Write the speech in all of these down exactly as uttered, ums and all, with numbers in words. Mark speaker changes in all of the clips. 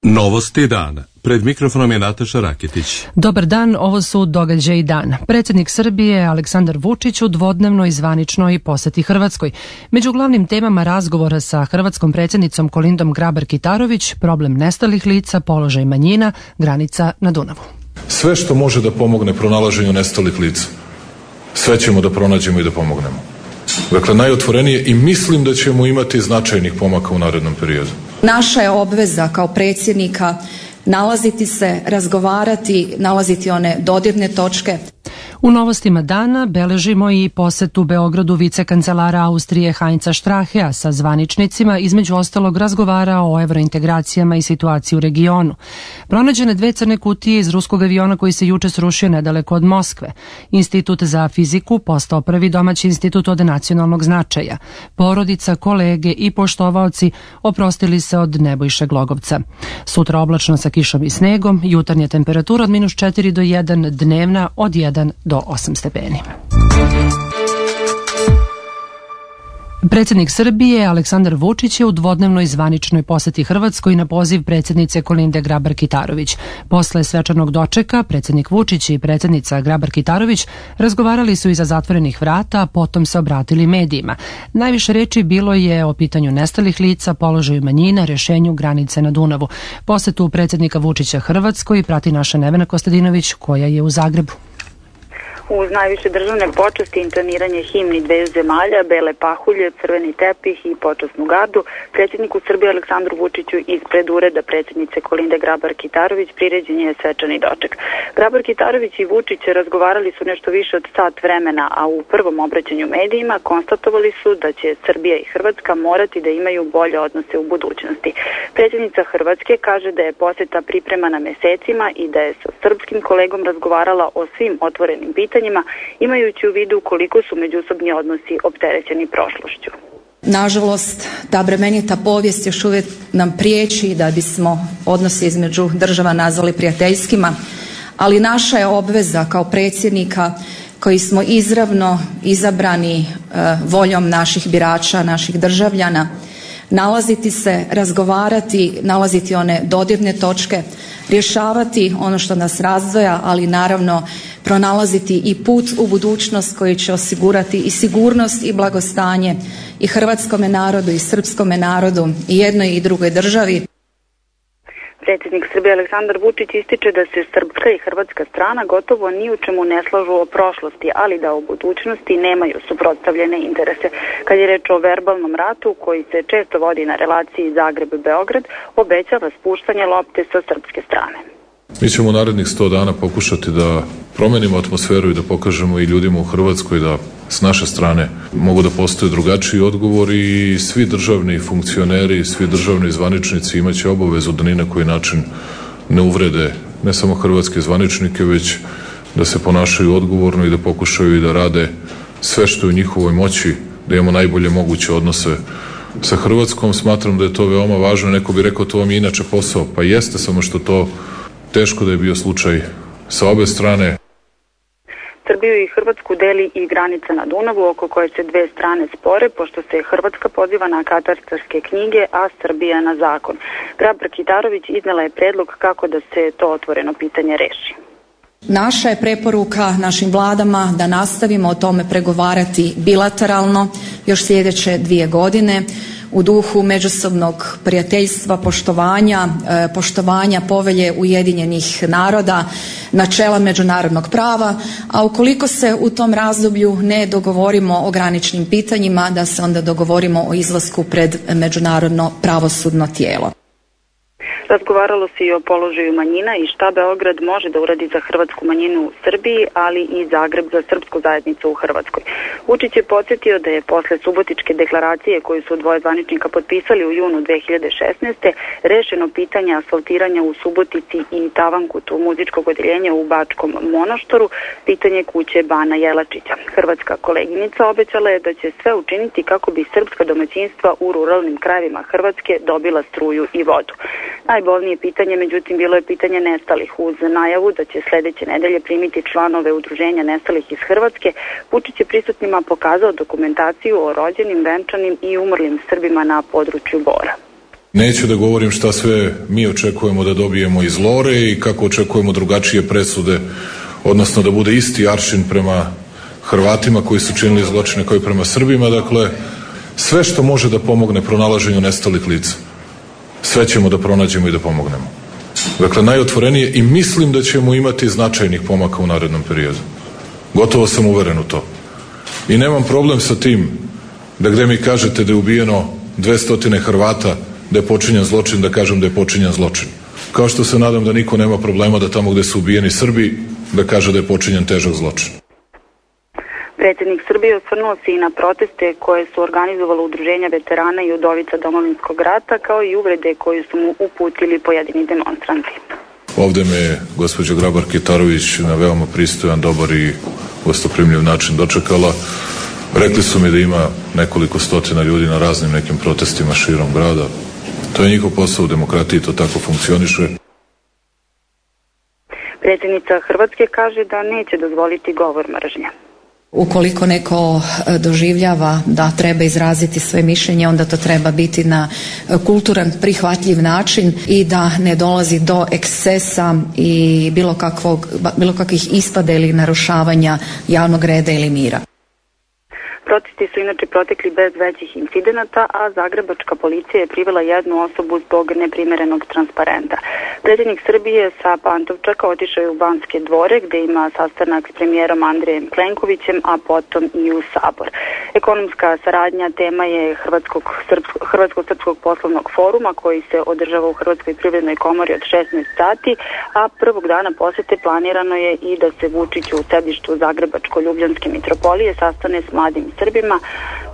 Speaker 1: Novosti dana. Pred mikrofonom je Nataša Raketić.
Speaker 2: Dobar dan, ovo su događaji dana. Predsjednik Srbije Aleksandar Vučić u dvodnevnoj zvaničnoj poseti Hrvatskoj. Među glavnim temama razgovora sa hrvatskom predsjednicom Kolindom Grabar-Kitarović, problem nestalih lica, položaj manjina, granica na Dunavu.
Speaker 3: Sve što može da pomogne pronalaženju nestalih lica, sve ćemo da pronađemo i da pomognemo. Dakle, najotvorenije i mislim da ćemo imati značajnih pomaka u narednom periodu.
Speaker 4: Naša je obveza kao predsjednika nalaziti se, razgovarati, nalaziti one dodirne točke.
Speaker 2: U novostima dana beležimo i posetu Beogradu vicekancelara Austrije Heinza Strachea sa zvaničnicima, između ostalog razgovarao o evrointegracijama i situaciji u regionu. Pronađene dve crne kutije iz ruskog aviona koji se juče srušio nedaleko od Moskve. Institut za fiziku postao prvi domaći institut od nacionalnog značaja. Porodica, kolege i poštovaoci oprostili se od Nebojše Glogovca. Sutra oblačno sa kišom i snegom, jutarnja temperatura od minus četiri do jedan, dnevna od jedan do osam stepeni. Predsjednik Srbije Aleksandar Vučić je u dvodnevnoj zvaničnoj poseti Hrvatskoj na poziv predsjednice Kolinde Grabar-Kitarović. Posle svečanog dočeka, predsjednik Vučić i predsjednica Grabar-Kitarović razgovarali su iza zatvorenih vrata, a potom se obratili medijima. Najviše reči bilo je o pitanju nestalih lica, položaju manjina, rješenju granice na Dunavu. Posetu predsjednika Vučića Hrvatskoj prati naša Nevena Kostadinović, koja je u Zagrebu.
Speaker 5: Uz najviše državne počasti, intoniranje himni dveju zemalja, bele pahulje, crveni tepih i počasnu gardu, predsjedniku Srbije Aleksandru Vučiću ispred ureda predsjednice Kolinde Grabar-Kitarović priređen je svečani doček. Grabar-Kitarović i Vučić razgovarali su nešto više od sat vremena, a u prvom obraćanju medijima konstatovali su da će Srbija i Hrvatska morati da imaju bolje odnose u budućnosti. Predsjednica Hrvatske kaže da je poseta pripremana mesecima i da je sa srpskim kolegom razgovarala o svim otvorenim pitanjima, imajući u vidu koliko su međusobni odnosi opterećeni prošlošću.
Speaker 4: Nažalost, ta bremenita povijest još uvijek nam priječi da bismo odnose između država nazvali prijateljskima, ali naša je obveza kao predsjednika koji smo izravno izabrani uh, voljom naših birača, naših državljana, nalaziti se, razgovarati, nalaziti one dodirne točke, rješavati ono što nas razdvaja, ali naravno pronalaziti i put u budućnost koji će osigurati i sigurnost i blagostanje i hrvatskome narodu i srpskome narodu i jednoj i drugoj državi.
Speaker 5: Predsjednik Srbije Aleksandar Vučić ističe da se srpska i hrvatska strana gotovo ni u čemu ne slažu o prošlosti, ali da u budućnosti nemaju suprotstavljene interese. Kad je reč o verbalnom ratu koji se često vodi na relaciji Zagreb-Beograd, obećava spuštanje lopte sa srpske strane.
Speaker 3: Mi ćemo u narednih sto dana pokušati da promenimo atmosferu i da pokažemo i ljudima u Hrvatskoj da s naše strane mogu da postoje drugačiji odgovori i svi državni funkcioneri, svi državni zvaničnici imaće obavezu da ni na koji način ne uvrede ne samo hrvatske zvaničnike, već da se ponašaju odgovorno i da pokušaju i da rade sve što je u njihovoj moći, da imamo najbolje moguće odnose sa Hrvatskom. Smatram da je to veoma važno. Neko bi rekao to vam je inače posao. Pa jeste, samo što to teško da je bio slučaj sa obe strane.
Speaker 5: Srbiju i Hrvatsku deli i granica na Dunavu, oko koje se dve strane spore, pošto se Hrvatska poziva na katastarske knjige, a Srbija na zakon. Grabar-Kitarović iznela je predlog kako da se to otvoreno pitanje reši.
Speaker 4: Naša je preporuka našim vladama da nastavimo o tome pregovarati bilateralno još sljedeće dvije godine, u duhu međusobnog prijateljstva, poštovanja, poštovanja povelje Ujedinjenih naroda, načela međunarodnog prava, a ukoliko se u tom razdoblju ne dogovorimo o graničnim pitanjima, da se onda dogovorimo o izlasku pred međunarodno pravosudno tijelo.
Speaker 5: Razgovaralo se i o položaju manjina i šta Beograd može da uradi za hrvatsku manjinu u Srbiji, ali i Zagreb za srpsku zajednicu u Hrvatskoj. Vučić je podsjetio da je posle Subotičke deklaracije koju su dvoje zvaničnika potpisali u junu dve hiljade šesnaeste. rešeno pitanje asfaltiranja u Subotici i Tavankutu muzičkog odjeljenja u Bačkom Monoštoru, pitanje kuće Bana Jelačića. Hrvatska koleginica obećala je da će sve učiniti kako bi srpska domaćinstva u ruralnim krajevima Hrvatske dobila struju i vodu. Najbolnije pitanje, međutim, bilo je pitanje nestalih. Uz najavu da će sljedeće nedelje primiti članove udruženja nestalih iz Hrvatske, Vučić je prisutnima pokazao dokumentaciju o rođenim, venčanim i umrlim Srbima na području Bora.
Speaker 3: Neću da govorim šta sve mi očekujemo da dobijemo iz Lore i kako očekujemo drugačije presude, odnosno da bude isti aršin prema Hrvatima koji su činili zločine kao i prema Srbima. Dakle, sve što može da pomogne pronalaženju nestalih lica, sve ćemo da pronađemo i da pomognemo. Dakle, najotvorenije, i mislim da ćemo imati značajnih pomaka u narednom periodu. Gotovo sam uveren u to. I nemam problem sa tim da gde mi kažete da je ubijeno dvesta Hrvata, da je počinjen zločin, da kažem da je počinjen zločin. Kao što se nadam da niko nema problema da tamo gde su ubijeni Srbi, da kaže da je počinjen težak zločin.
Speaker 5: Predsjednik Srbije osvrnuo se i na proteste koje su organizovalo udruženja veterana i udovica Domovinskog rata, kao i uvrede koje su mu uputili pojedini demonstranti.
Speaker 3: Ovde me je gospođa Grabar-Kitarović na veoma pristojan, dobar i gostoprimljiv način dočekala. Rekli su mi da ima nekoliko stotina ljudi na raznim nekim protestima širom grada. To je njihov posao u demokratiji, to tako funkcioniše.
Speaker 5: Predsjednica Hrvatske kaže da neće dozvoliti govor mržnje.
Speaker 4: Ukoliko neko doživljava da treba izraziti svoje mišljenje, onda to treba biti na kulturan, prihvatljiv način i da ne dolazi do ekscesa i bilo kakvog, bilo kakvih ispada ili narušavanja javnog reda ili mira.
Speaker 5: Protesti su inače protekli bez većih incidenata, a zagrebačka policija je privela jednu osobu zbog neprimerenog transparenta. Predsjednik Srbije sa Pantovčaka otišao je u Banske dvore, gde ima sastanak s premijerom Andrejem Plenkovićem, a potom i u Sabor. Ekonomska saradnja tema je Hrvatskog, srpsko, Hrvatsko-srpskog poslovnog foruma koji se održava u Hrvatskoj privrednoj komori od šesnaest sati, a prvog dana posete planirano je i da se Vučić u sedištu Zagrebačko-Ljubljanske mitropolije sastane s mladim Srbima.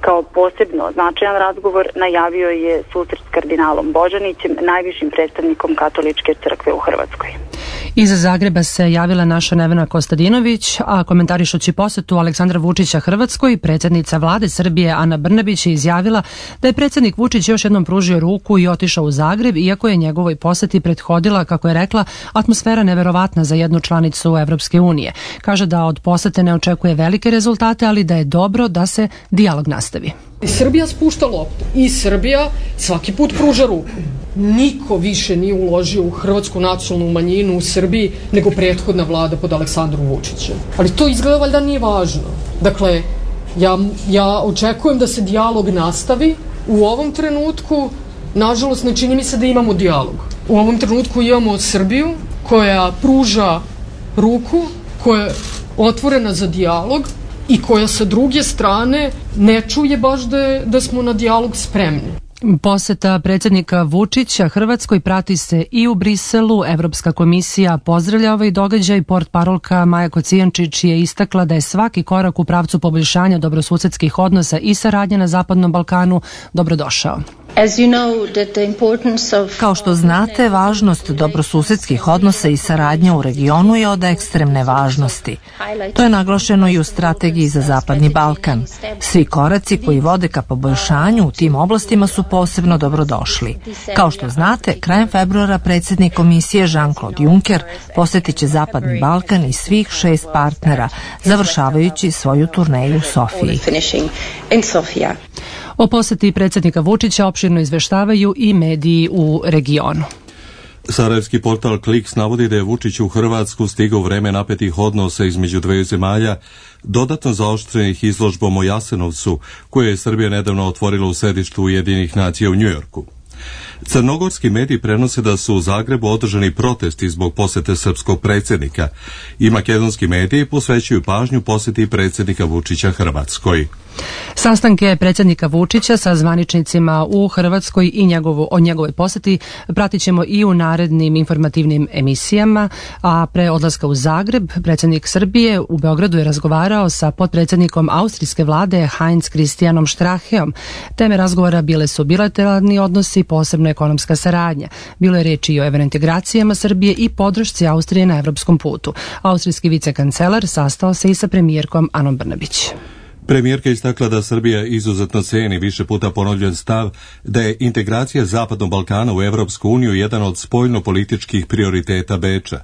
Speaker 5: Kao posebno značajan razgovor najavio je susret s kardinalom Božanićem, najvišim predstavnikom katoličke crkve u Hrvatskoj.
Speaker 2: Iza Zagreba se javila naša Nevena Kostadinović, a komentarišući posetu Aleksandra Vučića Hrvatskoj, predsjednica vlade Srbije Ana Brnabić je izjavila da je predsjednik Vučić još jednom pružio ruku i otišao u Zagreb, iako je njegovoj poseti prethodila, kako je rekla, atmosfera neverovatna za jednu članicu Evropske unije. Kaže da od posete ne očekuje velike rezultate, ali da je dobro da se dijalog nastavi.
Speaker 6: Srbija spušta loptu i Srbija svaki put pruža ruku. Niko više nije uložio u hrvatsku nacionalnu manjinu u Srbiji nego prethodna vlada pod Aleksandrom Vučićem. Ali to izgleda valjda nije važno. Dakle, ja, ja očekujem da se dijalog nastavi. U ovom trenutku, nažalost, ne čini mi se da imamo dijalog. U ovom trenutku imamo Srbiju koja pruža ruku, koja je otvorena za dijalog i koja sa druge strane ne čuje baš da, je, da smo na dijalog spremni.
Speaker 2: Poseta predsjednika Vučića Hrvatskoj prati se i u Briselu. Evropska komisija pozdravlja ovaj događaj. Portparolka Maja Kocijančić je istakla da je svaki korak u pravcu poboljšanja dobrosusedskih odnosa i saradnje na Zapadnom Balkanu dobrodošao.
Speaker 7: Kao što znate, važnost dobrosusedskih odnosa i saradnja u regionu je od ekstremne važnosti. To je naglašeno i u strategiji za Zapadni Balkan. Svi koraci koji vode ka poboljšanju u tim oblastima su posebno dobrodošli. Kao što znate, krajem februara predsjednik komisije Jean-Claude Juncker posjetit će Zapadni Balkan i svih šest partnera, završavajući svoju turneju u Sofiji.
Speaker 2: O poseti predsjednika Vučića opširno izveštavaju i mediji u regionu.
Speaker 1: Sarajevski portal Kliks navodi da je Vučić u Hrvatsku stigao u vreme napetih odnosa između dveju zemalja, dodatno zaoštrenih izložbom o Jasenovcu, koje je Srbija nedavno otvorila u sedištu Ujedinjenih nacija u Njujorku. Crnogorski mediji prenose da su u Zagrebu održani protesti zbog posete srpskog predsjednika i makedonski mediji posvećuju pažnju poseti predsjednika Vučića Hrvatskoj.
Speaker 2: Sastanke predsjednika Vučića sa zvaničnicima u Hrvatskoj i njegovu, o njegovoj poseti pratit ćemo i u narednim informativnim emisijama, a pre odlaska u Zagreb predsjednik Srbije u Beogradu je razgovarao sa potpredsjednikom austrijske vlade Heinz Christianom Stracheom. Teme razgovora bile su bilateralni odnosi, posebno ekonomska saradnja. Bilo je reči i o evrointegracijama Srbije i podršci Austrije na evropskom putu. Austrijski vicekancelar sastao se i sa premijerkom Anom Brnabić.
Speaker 1: Premijerka istakla da Srbija izuzetno ceni više puta ponovljen stav da je integracija Zapadnog Balkana u Evropsku uniju jedan od spoljno-političkih prioriteta Beča.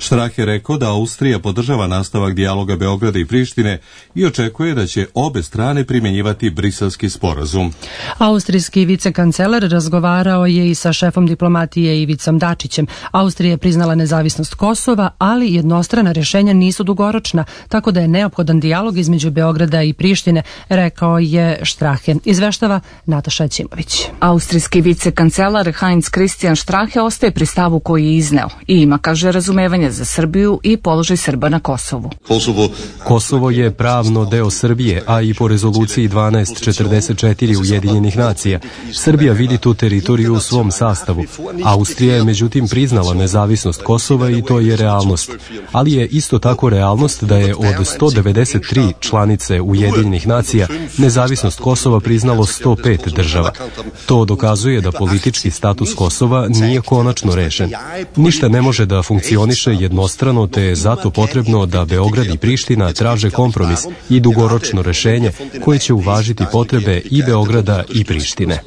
Speaker 1: Štrah je rekao da Austrija podržava nastavak dijaloga Beograda i Prištine i očekuje da će obe strane primjenjivati Briselski sporazum.
Speaker 2: Austrijski vicekancelar razgovarao je i sa šefom diplomatije Ivicom Dačićem. Austrija je priznala nezavisnost Kosova, ali jednostrana rješenja nisu dugoročna, tako da je neophodan dijalog između Beograda i Prištine, rekao je Strahe. Izveštava Nataša Ćimović.
Speaker 8: Austrijski vicekancelar Heinz Christian Strahe ostaje pri stavu koji je izneo i ima, kaže, razumevanje za Srbiju i položaj Srba na Kosovu.
Speaker 9: Kosovo, Kosovo je pravno deo Srbije, a i po rezoluciji dvanaest četrdeset četiri Ujedinjenih nacija. Srbija vidi tu teritoriju u svom sastavu. Austrija je međutim priznala nezavisnost Kosova i to je realnost. Ali je isto tako realnost da je od sto devedeset tri članice Ujedinjenih nacija nezavisnost Kosova priznalo sto pet država. To dokazuje da politički status Kosova nije konačno rešen. Ništa ne može da funkcioniše jednostrano, te je zato potrebno da Beograd i Priština traže kompromis i dugoročno rešenje koje će uvažiti potrebe i Beograda i Prištine.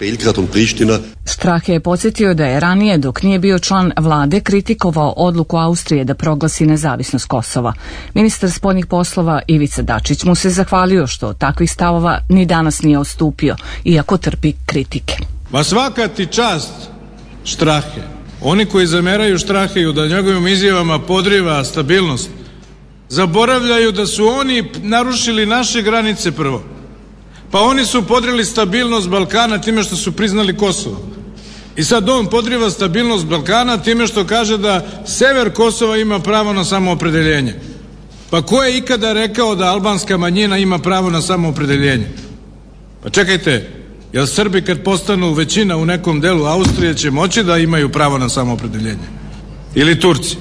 Speaker 8: Strahe je podsjetio da je ranije, dok nije bio član vlade, kritikovao odluku Austrije da proglasi nezavisnost Kosova. Ministar spoljnih poslova Ivica Dačić mu se zahvalio što od takvih stavova ni danas nije odstupio, iako trpi kritike.
Speaker 10: Ma svaka ti čast, Strahe. Oni koji zameraju Straheju da njegovim izjavama podriva stabilnost, zaboravljaju da su oni narušili naše granice prvo. Pa oni su podrili stabilnost Balkana time što su priznali Kosovo. I sad on podriva stabilnost Balkana time što kaže da sever Kosova ima pravo na samoopredeljenje. Pa ko je ikada rekao da albanska manjina ima pravo na samoopredeljenje? Pa čekajte, jel Srbi kad postanu većina u nekom delu Austrije će moći da imaju pravo na samoopredeljenje? Ili Turci?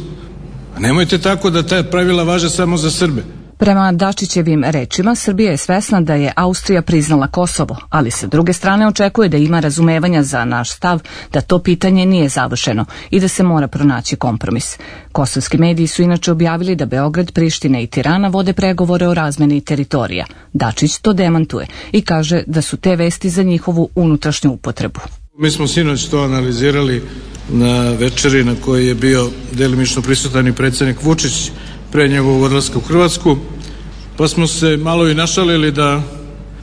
Speaker 10: A nemojte tako da ta pravila važe samo za Srbe.
Speaker 8: Prema Dačićevim rečima, Srbija je svesna da je Austrija priznala Kosovo, ali sa druge strane očekuje da ima razumevanja za naš stav da to pitanje nije završeno i da se mora pronaći kompromis. Kosovski mediji su inače objavili da Beograd, Priština i Tirana vode pregovore o razmeni teritorija. Dačić to demantuje i kaže da su te vesti za njihovu unutrašnju upotrebu.
Speaker 10: Mi smo sinoć to analizirali na večeri na kojoj je bio delimično prisutan i predsjednik Vučić pre njegovog odlaska u Hrvatsku, pa smo se malo i našalili da,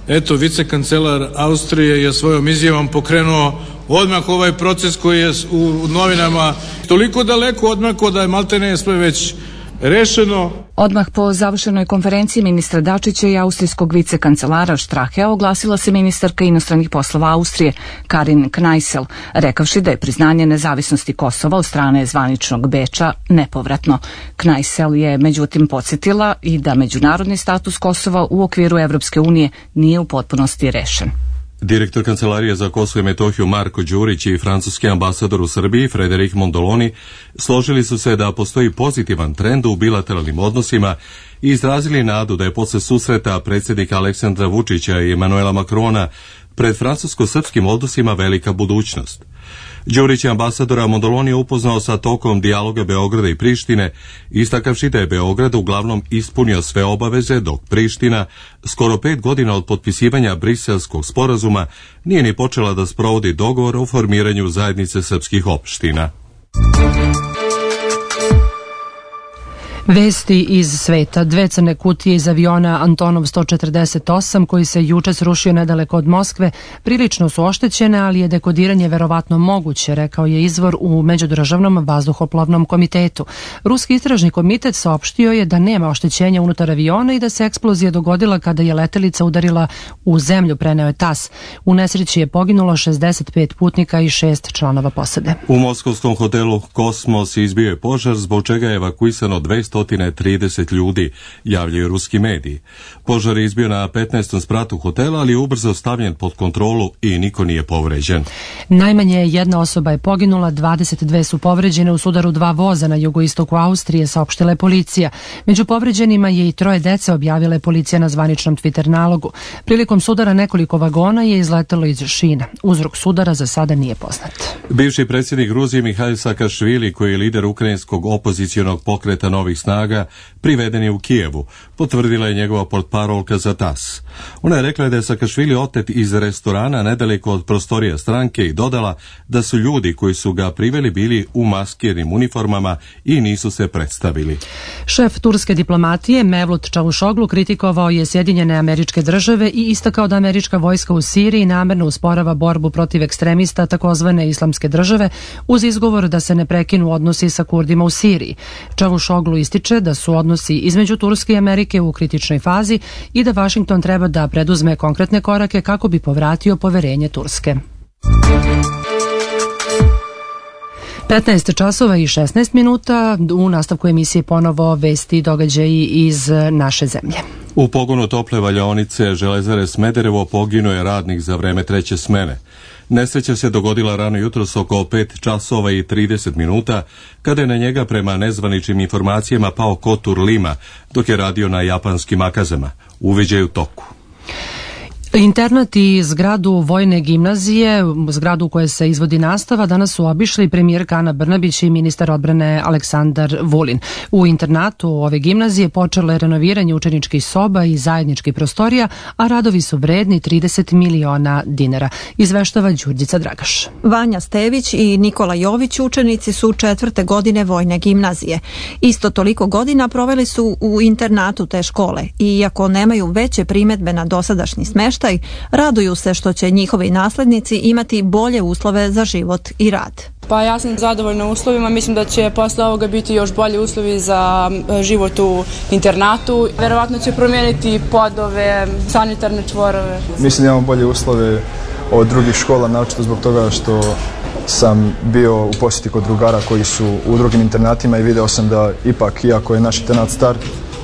Speaker 10: eto, vicekancelar Austrije je svojom izjavom pokrenuo odmah ovaj proces koji je u novinama toliko daleko odmako da je maltene sve već rešeno.
Speaker 8: Odmah po završenoj konferenciji ministra Dačića i austrijskog vicekancelara Strahea oglasila se ministarka inostranih poslova Austrije Karin Kneissel, rekavši da je priznanje nezavisnosti Kosova od strane zvaničnog Beča nepovratno. Kneissel je međutim podsjetila i da međunarodni status Kosova u okviru Evropske unije nije u potpunosti rešen.
Speaker 1: Direktor Kancelarije za Kosovo i Metohiju Marko Đurić i francuski ambasador u Srbiji Frederik Mondoloni složili su se da postoji pozitivan trend u bilateralnim odnosima i izrazili nadu da je posle susreta predsjednika Aleksandra Vučića i Emanuela Makrona pred francusko-srpskim odnosima velika budućnost. Đurić je ambasadora Mondoloni upoznao sa tokom dijaloga Beograda i Prištine, istakavši da je Beograd uglavnom ispunio sve obaveze, dok Priština, skoro pet godina od potpisivanja Briselskog sporazuma, nije ni počela da sprovodi dogovor o formiranju zajednice srpskih opština.
Speaker 2: Vesti iz sveta. Dve crne kutije iz aviona Antonov sto četrdeset osam koji se juče srušio nedaleko od Moskve prilično su oštećene, ali je dekodiranje verovatno moguće, rekao je izvor u Međudržavnom vazduhoplovnom komitetu. Ruski istražni komitet saopštio je da nema oštećenja unutar aviona i da se eksplozija dogodila kada je letelica udarila u zemlju, preneo je tas. U nesreći je poginulo šezdeset pet putnika i šest članova posade.
Speaker 1: U moskovskom hotelu Kosmos izbio je požar, zbog čega je evakuisano dvesta trideset ljudi, javljaju ruski mediji. Požar je izbio na petnaestom spratu hotela, ali je ubrzo stavljen pod kontrolu i niko nije povređen.
Speaker 2: Najmanje jedna osoba je poginula, dvadeset dve su povređene u sudaru dva voza na jugoistoku Austrije, saopštila je policija. Među povređenima je i troje dece, objavila je policija na zvaničnom Twitter nalogu. Prilikom sudara nekoliko vagona je izletelo iz šina. Uzrok sudara za sada nije poznat.
Speaker 1: Bivši predsjednik Gruzije Mihail Saakašvili, koji je lider ukrajinskog opozicionog pokreta Novih snaga, snaga priveden je u Kijevu, potvrdila je njegova portparolka za tas. Ona je rekla da je Sakašvili otet iz restorana nedaleko od prostorija stranke i dodala da su ljudi koji su ga priveli bili u maskirnim uniformama i nisu se predstavili.
Speaker 2: Šef turske diplomatije Mevlut Čavušoglu kritikovao je Sjedinjene Američke Države i istakao da američka vojska u Siriji namerno usporava borbu protiv ekstremista takozvane Islamske države uz izgovor da se ne prekinu odnosi sa Kurdima u Siriji. Čavušoglu ističe da su odnosi između Turske i Amerike u kritičnoj fazi i da Vašington treba da preduzme konkretne korake kako bi povratio poverenje Turske. petnaest časova i šesnaest minuta, u nastavku emisije ponovo vesti i događaji iz naše zemlje.
Speaker 1: U pogonu tople valjaonice Železare Smederevo poginuo je radnik za vreme treće smene. Nesreća se dogodila rano jutros oko pet časova i trideset minuta, kada je na njega prema nezvaničnim informacijama pao kotur lima, dok je radio na japanskim akazama. Uviđaj u toku.
Speaker 2: Internat i zgradu Vojne gimnazije, zgradu u kojoj se izvodi nastava, danas su obišli premijerka Ana Brnabić i ministar odbrane Aleksandar Vulin. U internatu ove gimnazije počelo je renoviranje učeničkih soba i zajedničkih prostorija, a radovi su vredni trideset miliona dinara. Izveštava Đurđica Dragaš.
Speaker 11: Vanja Stević i Nikola Jović učenici su četvrte godine Vojne gimnazije. Isto toliko godina proveli su u internatu te škole i iako nemaju veće primedbe na dosadašnji smeštaj, raduju se što će njihovi naslednici imati bolje uslove za život i rad.
Speaker 12: Pa ja sam zadovoljna uslovima, mislim da će posle ovoga biti još bolji uslovi za život u internatu. Verovatno će promijeniti podove, sanitarne čvorove.
Speaker 13: Mislim da imamo bolje uslove od drugih škola, naročito zbog toga što sam bio u posjeti kod drugara koji su u drugim internatima i video sam da ipak, iako je naš internat star,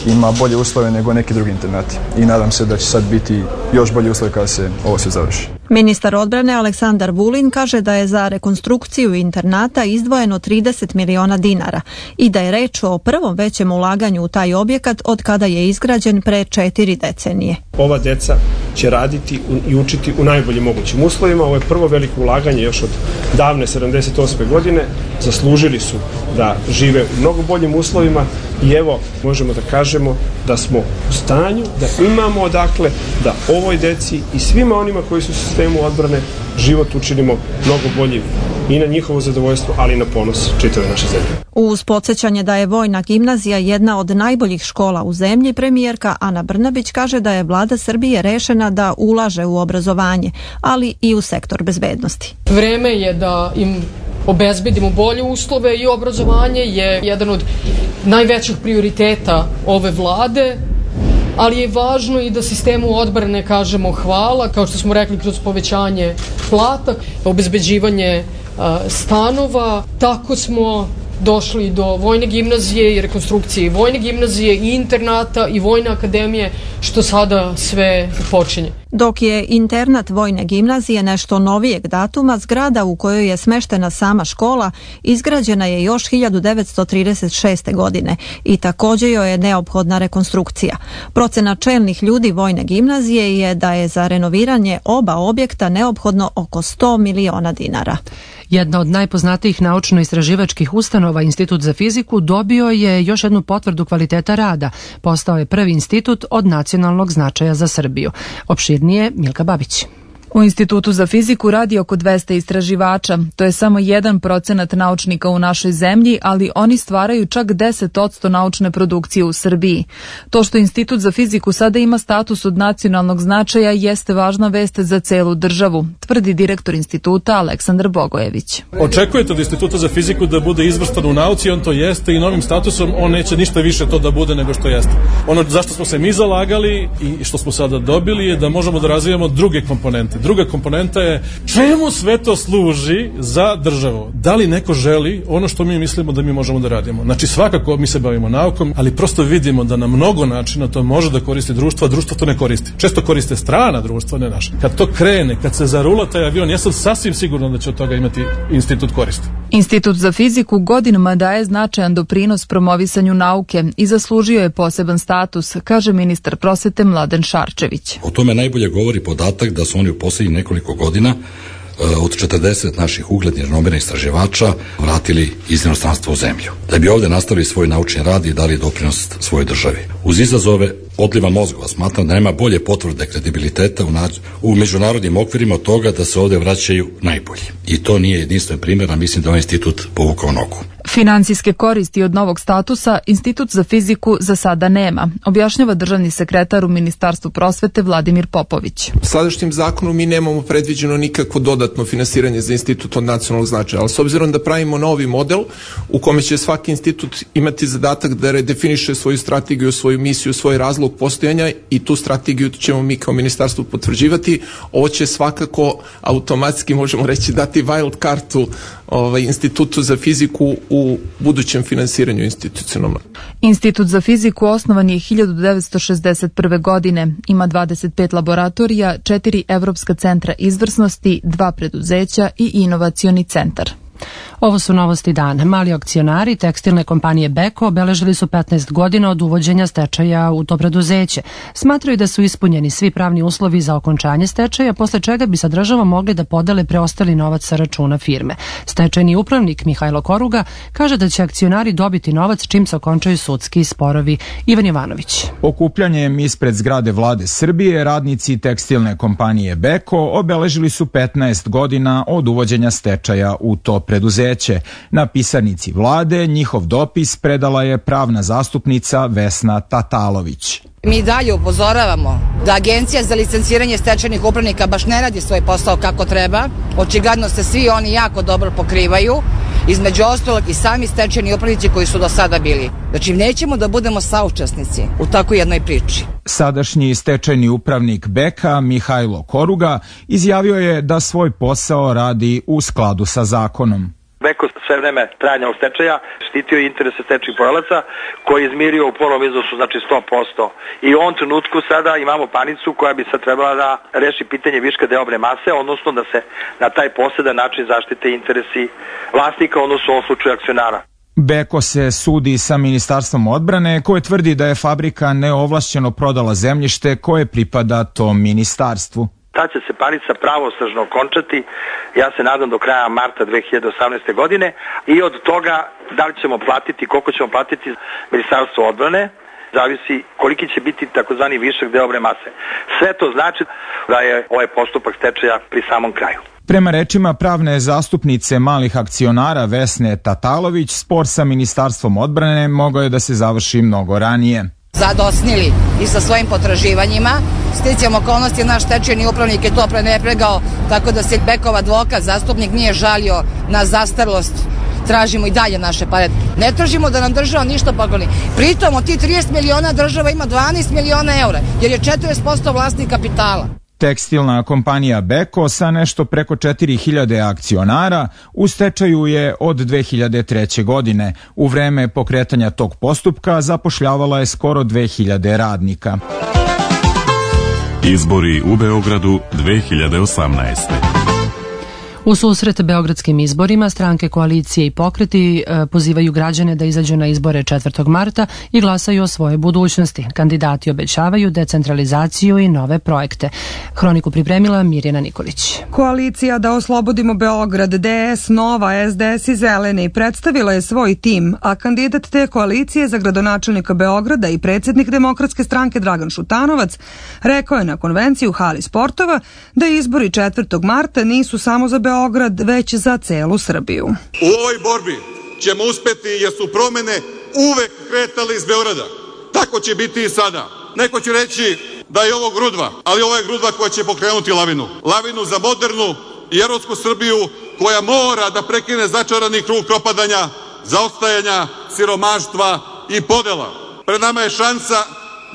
Speaker 13: ima bolje uslove nego neki drugi internati. I nadam se da će sad biti još bolje uslove kada se ovo sve završi.
Speaker 11: Ministar odbrane Aleksandar Vulin kaže da je za rekonstrukciju internata izdvojeno trideset miliona dinara i da je reč o prvom većem ulaganju u taj objekat od kada je izgrađen pre četiri decenije.
Speaker 14: Ova deca će raditi i učiti u najboljim mogućim uslovima. Ovo je prvo veliko ulaganje još od davne sedamdeset osme godine. Zaslužili su da žive u mnogo boljim uslovima i evo možemo da kažemo da smo u stanju, da imamo odakle da ovoj deci i svima onima koji su u sistemu odbrane život učinimo mnogo boljim i na njihovo zadovoljstvo, ali i na ponos čitave naše zemlje.
Speaker 11: Uz podsjećanje da je Vojna gimnazija jedna od najboljih škola u zemlji, premijerka Ana Brnabić kaže da je vlada Srbije rešena da ulaže u obrazovanje, ali i u sektor bezbednosti.
Speaker 6: Vreme je da im obezbedimo bolje uslove i obrazovanje je jedan od najvećih prioriteta ove vlade, ali je važno i da sistemu odbrane kažemo hvala, kao što smo rekli, kroz povećanje plata, obezbeđivanje a, stanova. Tako smo došli do Vojne gimnazije i rekonstrukcije i Vojne gimnazije i internata i Vojne akademije, što sada sve počinje.
Speaker 11: Dok je internat Vojne gimnazije nešto novijeg datuma, zgrada u kojoj je smeštena sama škola izgrađena je još hiljadu devetsto trideset šeste. godine i također joj je neophodna rekonstrukcija. Procena čelnih ljudi Vojne gimnazije je da je za renoviranje oba objekta neophodno oko sto miliona dinara.
Speaker 2: Jedna od najpoznatijih naučno-istraživačkih ustanova, Institut za fiziku, dobio je još jednu potvrdu kvaliteta rada. Postao je prvi institut od nacionalnog značaja za Srbiju. Opširnije Milka Babić.
Speaker 15: U Institutu za fiziku radi oko dvesta istraživača. To je samo jedan procenat naučnika u našoj zemlji, ali oni stvaraju čak deset posto naučne produkcije u Srbiji. To što Institut za fiziku sada ima status od nacionalnog značaja jeste važna vest za celu državu, tvrdi direktor instituta Aleksandar Bogojević.
Speaker 16: Očekujete od Instituta za fiziku da bude izvrstan u nauci, on to jeste i novim statusom on neće ništa više to da bude nego što jeste. Ono zašto smo se mi zalagali i što smo sada dobili je da možemo da razvijamo druge komponente. Druga komponenta je čemu sve to služi za državu. Da li neko želi ono što mi mislimo da mi možemo da radimo. Znači svakako mi se bavimo naukom, ali prosto vidimo da na mnogo načina to može da koristi društvo, a društvo to ne koristi. Često koriste strana društva, ne naša. Kad to krene, kad se zarula taj avion, ja sam sasvim siguran da će od toga imati institut koristi.
Speaker 15: Institut za fiziku godinama daje značajan doprinos promovisanju nauke i zaslužio je poseban status, kaže ministar prosvete Mladen Šarčević.
Speaker 17: O tome najbolje govori podatak da su oni u posljednjih nekoliko godina od četrdeset naših uglednih renomiranih istraživača vratili iz inostranstva u zemlju, da bi ovde nastavili svoj naučni rad i dali doprinos svojoj državi. Uz izazove odliva mozgova smatram da nema bolje potvrde kredibiliteta u, nađ... u međunarodnim okvirima od toga da se ovde vraćaju najbolji. I to nije jedinstven primjer, a mislim da ovaj institut povukao nogu.
Speaker 15: Finansijske koristi od novog statusa Institut za fiziku za sada nema, objašnjava državni sekretar u Ministarstvu prosvete Vladimir Popović.
Speaker 18: Sadašnjim zakonom mi nemamo predviđeno nikakvo dodatno finansiranje za institut od nacionalnog značaja, ali s obzirom da pravimo novi model u kome će svaki institut imati zadatak da redefiniše svoju strategiju, svoju misiju, svoj razlog postojanja i tu strategiju ćemo mi kao ministarstvo potvrđivati, ovo će svakako automatski, možemo reći, dati wild kartu ovaj, Institutu za fiziku u budućem finansiranju institucionalno.
Speaker 15: Institut za fiziku osnovan je hiljadu devetsto šezdeset prve. godine. Ima dvadeset pet laboratorija, četiri evropska centra izvrsnosti, dva preduzeća i inovacioni centar.
Speaker 2: Ovo su novosti dana. Mali akcionari tekstilne kompanije Beko obeležili su petnaest godina od uvođenja stečaja u to preduzeće. Smatraju da su ispunjeni svi pravni uslovi za okončanje stečaja, posle čega bi sa državom mogli da podele preostali novac sa računa firme. Stečajni upravnik Mihajlo Koruga kaže da će akcionari dobiti novac čim se okončaju sudski sporovi. Ivan Jovanović.
Speaker 19: Okupljanjem ispred zgrade Vlade Srbije radnici tekstilne kompanije Beko obeležili su petnaest godina od uvođenja stečaja u to preduzeće. Na pisarnici vlade njihov dopis predala je pravna zastupnica Vesna Tatalović.
Speaker 20: Mi dalje upozoravamo da Agencija za licenciranje stečajnih upravnika baš ne radi svoj posao kako treba. Očigledno se svi oni jako dobro pokrivaju, između ostalog i sami stečajni upravnici koji su do sada bili. Znači nećemo da budemo saučesnici u takvoj jednoj priči.
Speaker 19: Sadašnji stečajni upravnik Beka Mihajlo Koruga izjavio je da svoj posao radi u skladu sa zakonom.
Speaker 21: Beko sve vreme trajanja u stečaja štitio interese stečajnih poverilaca koji je izmirio u polom iznosu, znači sto posto. I u ovom trenutku sada imamo panicu koja bi sad trebala da reši pitanje viška deobne mase, odnosno da se na taj posedan način zaštite interesi vlasnika, odnosno u ovom slučaju akcionara.
Speaker 19: Beko se sudi sa Ministarstvom odbrane koje tvrdi da je fabrika neovlašćeno prodala zemljište koje pripada tom ministarstvu.
Speaker 21: Ta će se panica pravosnažno okončati, ja se nadam do kraja marta dve hiljade osamnaeste. godine i od toga da li ćemo platiti, koliko ćemo platiti Ministarstvo odbrane, zavisi koliki će biti takozvani višak deobne mase. Sve to znači da je ovaj postupak stečaja pri samom kraju.
Speaker 19: Prema rečima pravne zastupnice malih akcionara Vesne Tatalović, spor sa Ministarstvom odbrane mogao je da se završi mnogo ranije.
Speaker 20: Zadosnili i sa svojim potraživanjima. Sticajem okolnosti naš stečajni upravnik je to prenepregao, tako da se Bekov advokat, zastupnik, nije žalio na zastarlost. Tražimo i dalje naše pare. Ne tražimo da nam država ništa pokloni. Pritom od tih trideset miliona država ima dvanaest miliona eura, jer je četrdeset posto vlasnik kapitala.
Speaker 19: Tekstilna kompanija Beko sa nešto preko četiri hiljade akcionara u stečaju je od dve hiljade treće. godine. U vreme pokretanja tog postupka zapošljavala je skoro dve hiljade radnika.
Speaker 22: Izbori u Beogradu dve hiljade osamnaeste.
Speaker 2: U susret beogradskim izborima stranke, koalicije i pokreti e, pozivaju građane da izađu na izbore četvrtog marta i glasaju o svojoj budućnosti. Kandidati obećavaju decentralizaciju i nove projekte. Hroniku pripremila Mirjana Nikolić.
Speaker 23: Koalicija Da oslobodimo Beograd, D S, Nova, S D S i Zeleni predstavila je svoj tim, a kandidat te koalicije za gradonačelnika Beograda i predsjednik Demokratske stranke Dragan Šutanovac rekao je na konvenciji u hali sportova da izbori četvrtog marta nisu samo za Beograd, Beograd, već za celu Srbiju.
Speaker 24: U ovoj borbi ćemo uspeti jer su promene uvek kretale iz Beograda. Tako će biti i sada. Neko će reći da je ovo grudva, ali ovo je grudva koja će pokrenuti lavinu. Lavinu za modernu i evropsku Srbiju koja mora da prekine začarani krug propadanja, zaostajanja, siromaštva i podela. Pred nama je šansa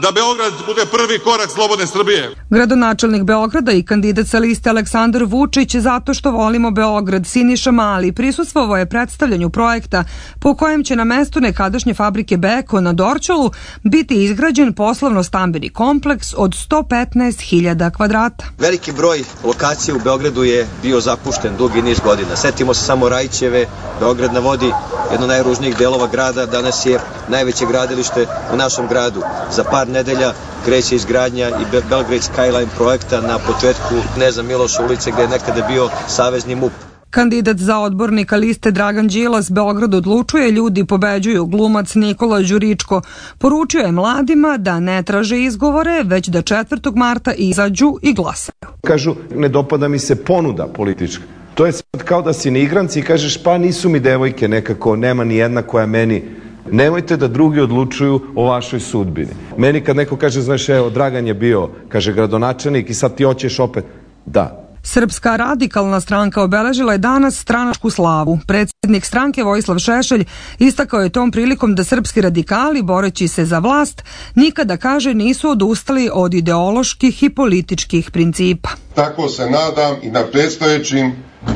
Speaker 24: da Beograd bude prvi korak slobodne Srbije.
Speaker 23: Gradonačelnik Beograda i kandidat sa liste Aleksandar Vučić zato što volimo Beograd Siniša Mali prisustvovao je predstavljanju projekta po kojem će na mestu nekadašnje fabrike Beko na Dorćolu biti izgrađen poslovno-stambeni kompleks od sto petnaest hiljada kvadrata.
Speaker 25: Veliki broj lokacija u Beogradu je bio zapušten dugi niz godina. Setimo se samo Rajićeve, Beograd na vodi, jedno najružnijih delova grada, danas je najveće gradilište u našem gradu. Za par par nedelja kreće izgradnja i Belgrade Skyline projekta na početku Kneza Miloša ulice gde je nekada bio savezni M U P.
Speaker 23: Kandidat za odbornika liste Dragan Đilas Beograd odlučuje, ljudi pobeđuju. Glumac Nikola Đuričko poručio je mladima da ne traže izgovore, već da četvrtog marta izađu i glasaju.
Speaker 3: Kažu, ne dopada mi se ponuda politička. To je sad kao da si na igranci i kažeš, pa nisu mi devojke nekako, nema ni jedna koja meni. Nemojte da drugi odlučuju o vašoj sudbini. Meni kad neko kaže, znaš, evo, Dragan je bio, kaže, gradonačelnik i sad ti hoćeš opet. Da.
Speaker 23: Srpska radikalna stranka obeležila je danas stranačku slavu. Predsjednik stranke Vojislav Šešelj istakao je tom prilikom da srpski radikali, boreći se za vlast, nikada, kaže, nisu odustali od ideoloških i političkih principa.
Speaker 4: Tako se nadam i na predstojećim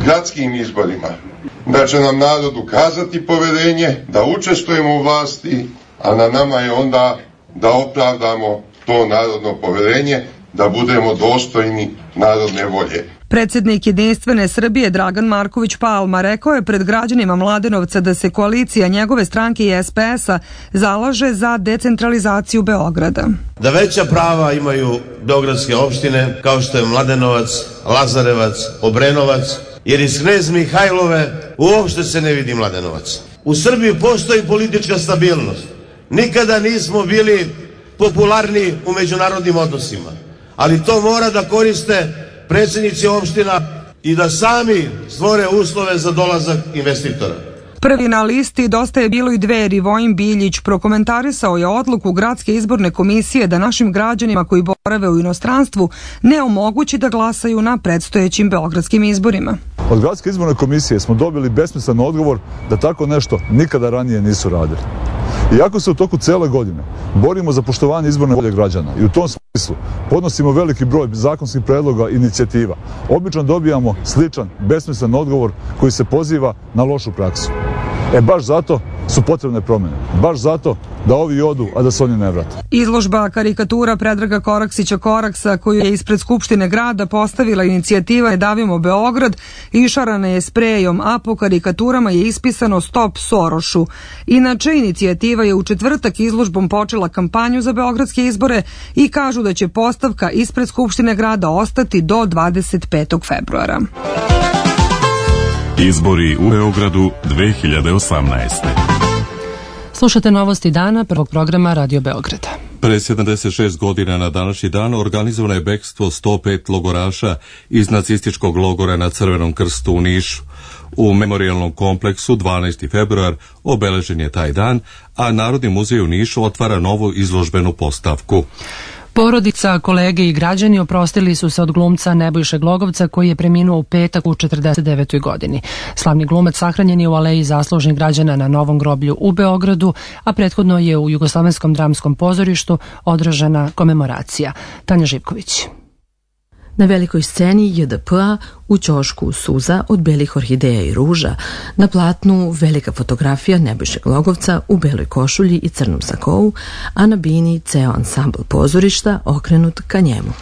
Speaker 4: gradskim izborima, da će nam narod ukazati poverenje, da učestvujemo u vlasti, a na nama je onda da opravdamo to narodno poverenje, da budemo dostojni narodne volje.
Speaker 23: Predsjednik Jedinstvene Srbije Dragan Marković Palma rekao je pred građanima Mladenovca da se koalicija njegove stranke i S P S-a zalaže za decentralizaciju Beograda.
Speaker 5: Da veća prava imaju beogradske opštine kao što je Mladenovac, Lazarevac, Obrenovac, jer iz Knez Mihajlove uopšte se ne vidi Mladenovac. U Srbiji postoji politička stabilnost. Nikada nismo bili popularni u međunarodnim odnosima, ali to mora da koriste predsjednici opština i da sami stvore uslove za dolazak investitora.
Speaker 23: Prvi na listi Dosta je bilo i Dveri Vojin Biljić prokomentarisao je odluku Gradske izborne komisije da našim građanima koji borave u inostranstvu ne omogući da glasaju na predstojećim beogradskim izborima.
Speaker 7: Od Gradske izborne komisije smo dobili besmislen odgovor da tako nešto nikada ranije nisu radili. Iako se u toku cele godine borimo za poštovanje izborne volje građana i u tom smislu podnosimo veliki broj zakonskih predloga i inicijativa, obično dobijamo sličan, besmislen odgovor koji se poziva na lošu praksu. E baš zato su potrebne promjene. Baš zato da ovi odu, a da se oni ne vrate.
Speaker 23: Izložba karikatura Predraga Koraksića Koraksa, koju je ispred Skupštine grada postavila inicijativa Je davimo Beograd, išarana je sprejom, a po karikaturama je ispisano Stop Sorošu. Inače, inicijativa je u četvrtak izložbom počela kampanju za beogradske izbore i kažu da će postavka ispred Skupštine grada ostati do dvadeset petog februara.
Speaker 22: Izbori u Beogradu dve hiljade osamnaeste.
Speaker 2: Slušate novosti dana prvog programa Radio Beograda.
Speaker 1: Pre sedamdeset šest godina na današnji dan organizovano je bekstvo sto pet logoraša iz nacističkog logora na Crvenom krstu u Nišu. U memorijalnom kompleksu dvanaesti februar obeležen je taj dan, a Narodni muzej u Nišu otvara novu izložbenu postavku.
Speaker 2: Porodica, kolege i građani oprostili su se od glumca Nebojše Glogovca koji je preminuo u petak u četrdeset devetoj godini. Slavni glumac sahranjen je u aleji zaslužnih građana na Novom groblju u Beogradu, a prethodno je u Jugoslovenskom dramskom pozorištu održana komemoracija. Tanja Živković.
Speaker 9: Na velikoj sceni J D P-a, u ćošku Suza od belih orhideja i ruža, na platnu velika fotografija Nebojše Glogovca u beloj košulji i crnom sakou, a na bini ceo ansambl pozorišta okrenut ka njemu.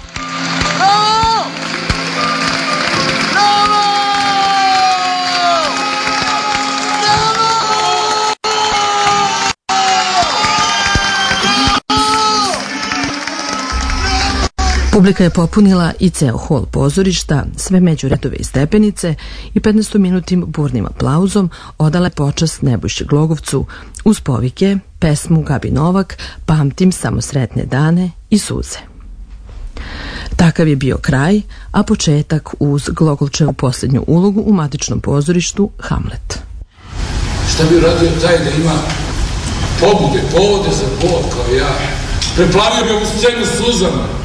Speaker 9: Publika je popunila i ceo hol pozorišta, sve međuredove i stepenice i petnaestominutnim burnim aplauzom odala je počast Nebojši Glogovcu uz povike, pesmu Gabi Novak, Pamtim samo sretne dane i suze. Takav je bio kraj, a početak uz Glogolčevu posljednju ulogu u matičnom pozorištu Hamlet.
Speaker 26: Šta bi uradio taj da ima pobude, povode za bol kao ja? Preplavio bi ovu scenu suzama.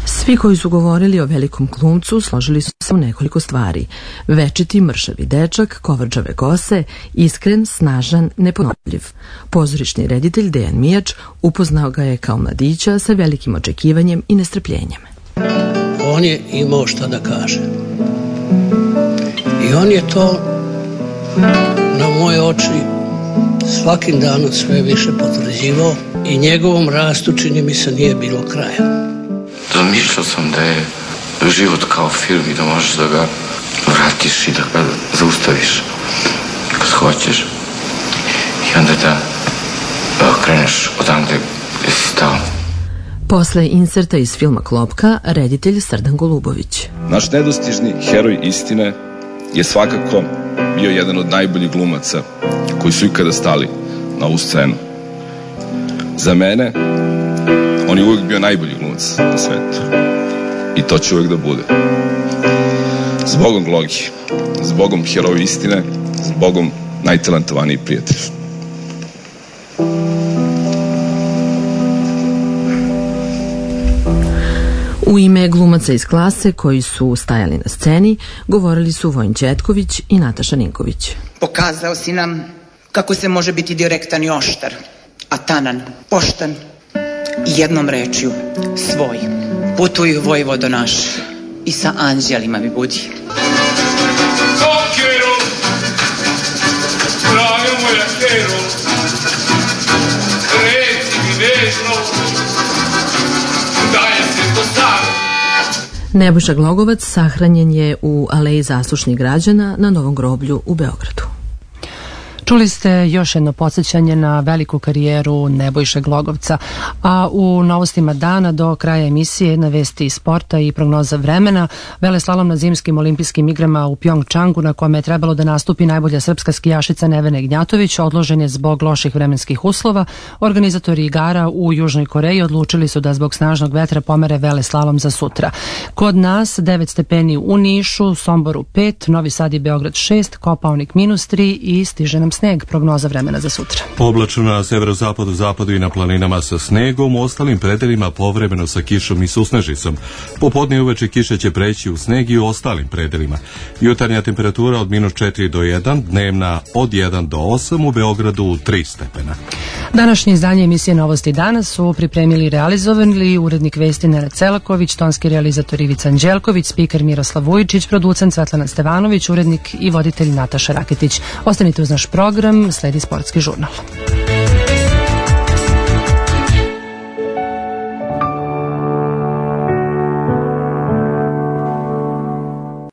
Speaker 9: Svi koji su govorili o velikom glumcu složili su se u nekoliko stvari. Večiti, mršavi dečak, kovrđave kose, iskren, snažan, neponovljiv. Pozorišni reditelj Dejan Mijač upoznao ga je kao mladića sa velikim očekivanjem i nestrpljenjem.
Speaker 27: On je imao šta da kaže. I on je to na moje oči svakim danom sve više potvrđivao i njegovom rastu čini mi se nije bilo kraja.
Speaker 28: Zamišljao sam da je život kao film i da možeš da ga vratiš i da ga zaustaviš kad hoćeš i onda da kreneš odande gde si stao.
Speaker 9: Posle inserta iz filma Klopka, reditelj Srdan Golubović.
Speaker 6: Naš nedostižni heroj istine je svakako bio jedan od najboljih glumaca koji su ikada stali na ovu scenu. Za mene, on je uvijek bio najbolji glumac na svetu. I to će uvijek da bude. Zbogom Glogi, zbogom heroja istine, zbogom najtalentovaniji prijatelj.
Speaker 9: U ime glumaca iz klase koji su stajali na sceni, govorili su Vojin Ćetković i Nataša Ninković.
Speaker 8: Pokazao si nam kako se može biti direktan i oštar, a tanan, poštan i jednom rečju svoj. Putuj Vojvodo naš i sa anđelima mi budi.
Speaker 26: Kokero, draga moja kero, reci mi nežno, da je se to sad.
Speaker 9: Nebojša Glogovac sahranjen je u Aleji zaslušnih građana na Novom groblju u Beogradu.
Speaker 2: Čuli ste još jedno podsjećanje na veliku karijeru Nebojše Glogovca, a u novostima dana do kraja emisije jedna vesti iz sporta i prognoza vremena. Veleslalom na zimskim olimpijskim igrama u Pjongčangu, na kome je trebalo da nastupi najbolja srpska skijašica Nevena Ignjatović, odložen je zbog loših vremenskih uslova. Organizatori igara u Južnoj Koreji odlučili su da zbog snažnog vetra pomere veleslalom za sutra. Kod nas devet stepeni u Nišu, Somboru pet, Novi Sad i Beograd šest, Kopaonik minus tri i stiže nam sneg. Prognoza vremena za sutra.
Speaker 1: Oblačno na severozapadu, zapadu i na planinama sa snegom, u ostalim predelima povremeno sa kišom i susnežicom. Popodne i uveče kiša će preći u sneg i u ostalim predelima. Jutarnja temperatura od minus četiri do jedan, dnevna od jedan do osam, u Beogradu tri stepena.
Speaker 2: Današnje izdanje emisije Novosti danas su pripremili i realizovali urednik vesti Nenad Celaković, tonski realizator Ivica Anđelković, spiker Miroslav Vujičić, producent Svetlana Stevanović, urednik i voditelj Nataša Raketić. Ostanite uz naš program, sledi sportski žurnal.